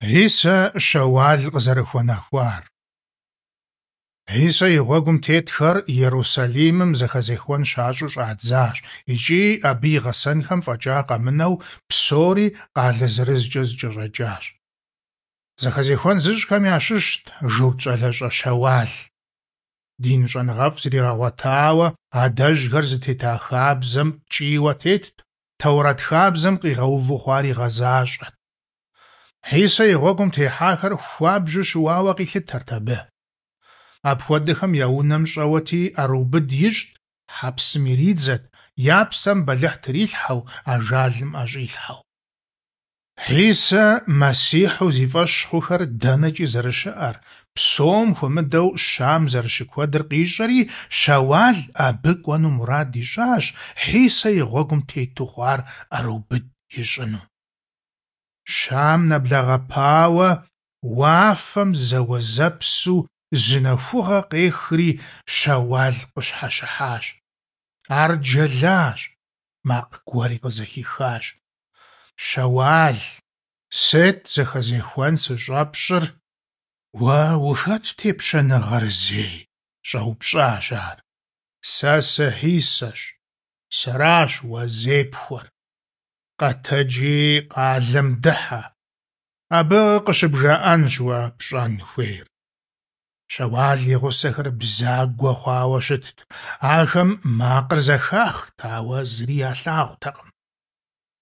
Хьисэ Щэуал къызэрыхуэнэхуар. Хьисэ и гъуэгум тетхэр Ерусалимым зэхэзехуэн щащӏу щӏадзащ икӏи абы и гъэсэнхэм фӏэкӏа къэмынэу псори къалэ зырызкӏэ зэкӏэщӏэкӏащ. Зэхэзехуэн зыщӏхэм ящыщт журт щӏалэщӏэ Щэуал. Дин щӏэныгъэфӏ зригъэгъуэтауэ, адэжьхэр зытета хабзэм ткӏийуэ тетт, Тэурэт хабзэм къигъэуву хъуар игъэзащӏэт. Хьисэ и гъуэгум техьахэр хуабжьу щыуауэ къилъытэрт абы. Апхуэдэхэм я унэм щӏэуэти ӏэрыубыд ищӏт, хьэпсым иридзэт, я псэм бэлыхь трилъхьэу, ажалым ӏэщӏилъхьэу. Хьисэ Мэссихьу зи фӏэщ хъухэр дэнэкӏи зэрыщыӏэр, псом хуэмыдэу Щам зэрыщыкуэдыр къищӏэри, Щэуал абы кӏуэну мурад ищӏащ, Хьисэ и гъуэгум тету хъуар ӏэрыубыд ищӏыну. Щам нэблэгъэпауэ, уафэм зэуэзэпсу зы нэхугъэ къехри, Щэуал къыщхьэщыхьащ. Ар джэлащ, макъ гуэри къызэхихащ. Щэуал, сыт зэхэзехуэн сыщӏэпщӏыр? Уэ ухэт тепщэныгъэр зей? щӏэупщӏащ ар. Сэ сы-Хьисэщ, сэращ уэ зепхуэр. Къэтэджи къалэм дыхьэ. Абы къыщыбжаӏэнщ уэ пщӏэн хуейр. Щэуал и гъусэхэр бзагуэ хъуауэ щытт. Ахэм макъыр зэхахт, ауэ зыри ялъагъутэкъым.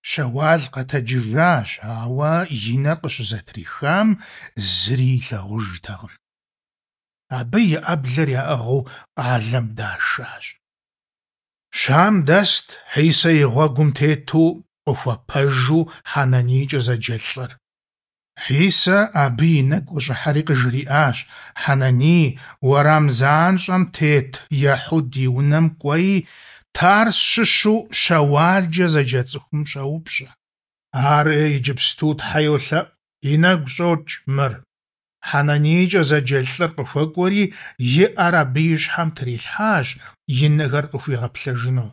Щэуал къэтэджыжащ, ауэ и нэр къыщызэтрихам зыри илъагъужтэкъым. Абы и ӏэблэр яӏыгъыу къалэм дашащ. Щам дэст Хьисэ и гъуэгум тету къыхуэпэжу Хьэнанийкӏэ зэджэ лӏыр. Хьисэ абы и нэгу къыщӏыхьэри къыжриӏащ: Хьэнаний, уэрам занщӏэм тет Ехьуд и унэм кӏуэи, Тарс щыщу Щэуалкӏэ зэджэ цӏыхум щӏэупщӏэ. Ар иджыпсту Тхьэ йолъэӏу, и нэгу щӏокӏ мыр. Хьэнанийкӏэ зэджэ лӏыр къыхуэкӏуэри, и ӏэр абы и щхьэм трилъхьащ, и нэхэр къыхуигъэплъэжыну.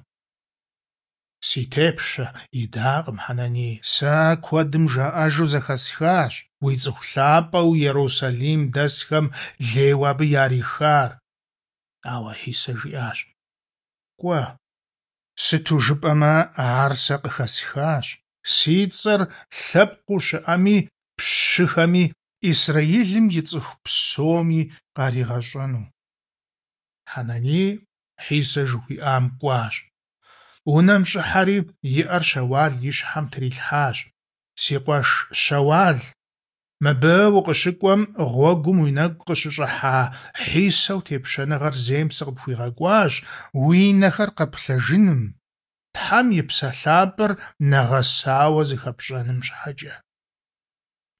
Си тепщэ, идакъым Хьэнаний, сэ куэдым жаӏэжу зэхэсхащ уи цӏыху лъапӏэу Ерусалим дэсхэм лейуэ абы ярихар. Ауэ Хьисэ жиӏащ: Кӏуэ, сыту жыпӏэмэ ар сэ къыхэсхащ, си цӏэр лъэпкъыу щыӏэми, пщыхэми, Исраилым и цӏыху псоми къаригъэщӏэну. Хьэнаний Хьисэ жыхуиӏам кӏуащ. Унэм щӏыхьэри, и ӏэр Щэуал и щхьэм трилъхьащ. Си къуэш Щэуал, мыбы укъыщыкӏуэм гъуэгум уи нэгу къыщыщӏыхьа Хьисэу тепщэныгъэр зейм сыкъыпхуигъэкӏуащ уи нэхэр къэплъэжыным, Тхьэм и Псэ Лъапӏэр нэгъэсауэ зыхэпщӏэным щхьэкӏэ.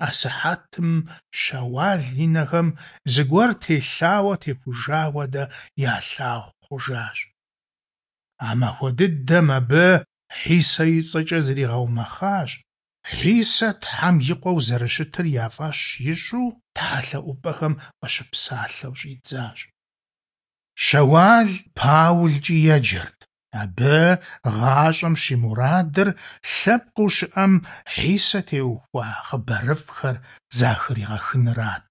Асыхьэтым Щэуал и нэхэм зыгуэр телъауэ техужа хуэдэ ялъагъу хъужащ. А махуэ дыдэм абы Хьисэ и цӏэкӏэ зригъэумэхъащ, Хьисэ Тхьэм и Къуэу зэрыщытыр я фӏэщ ищӏу тхьэлъэӏупӏэхэм къыщыпсалъэу щӏидзащ. Щэуал Паулкӏи еджэрт. Абы гъащӏэм щимурадыр лъэпкъыу щыӏэм Хьисэ теухуа хъыбарыфӏхэр захригъэхынырат.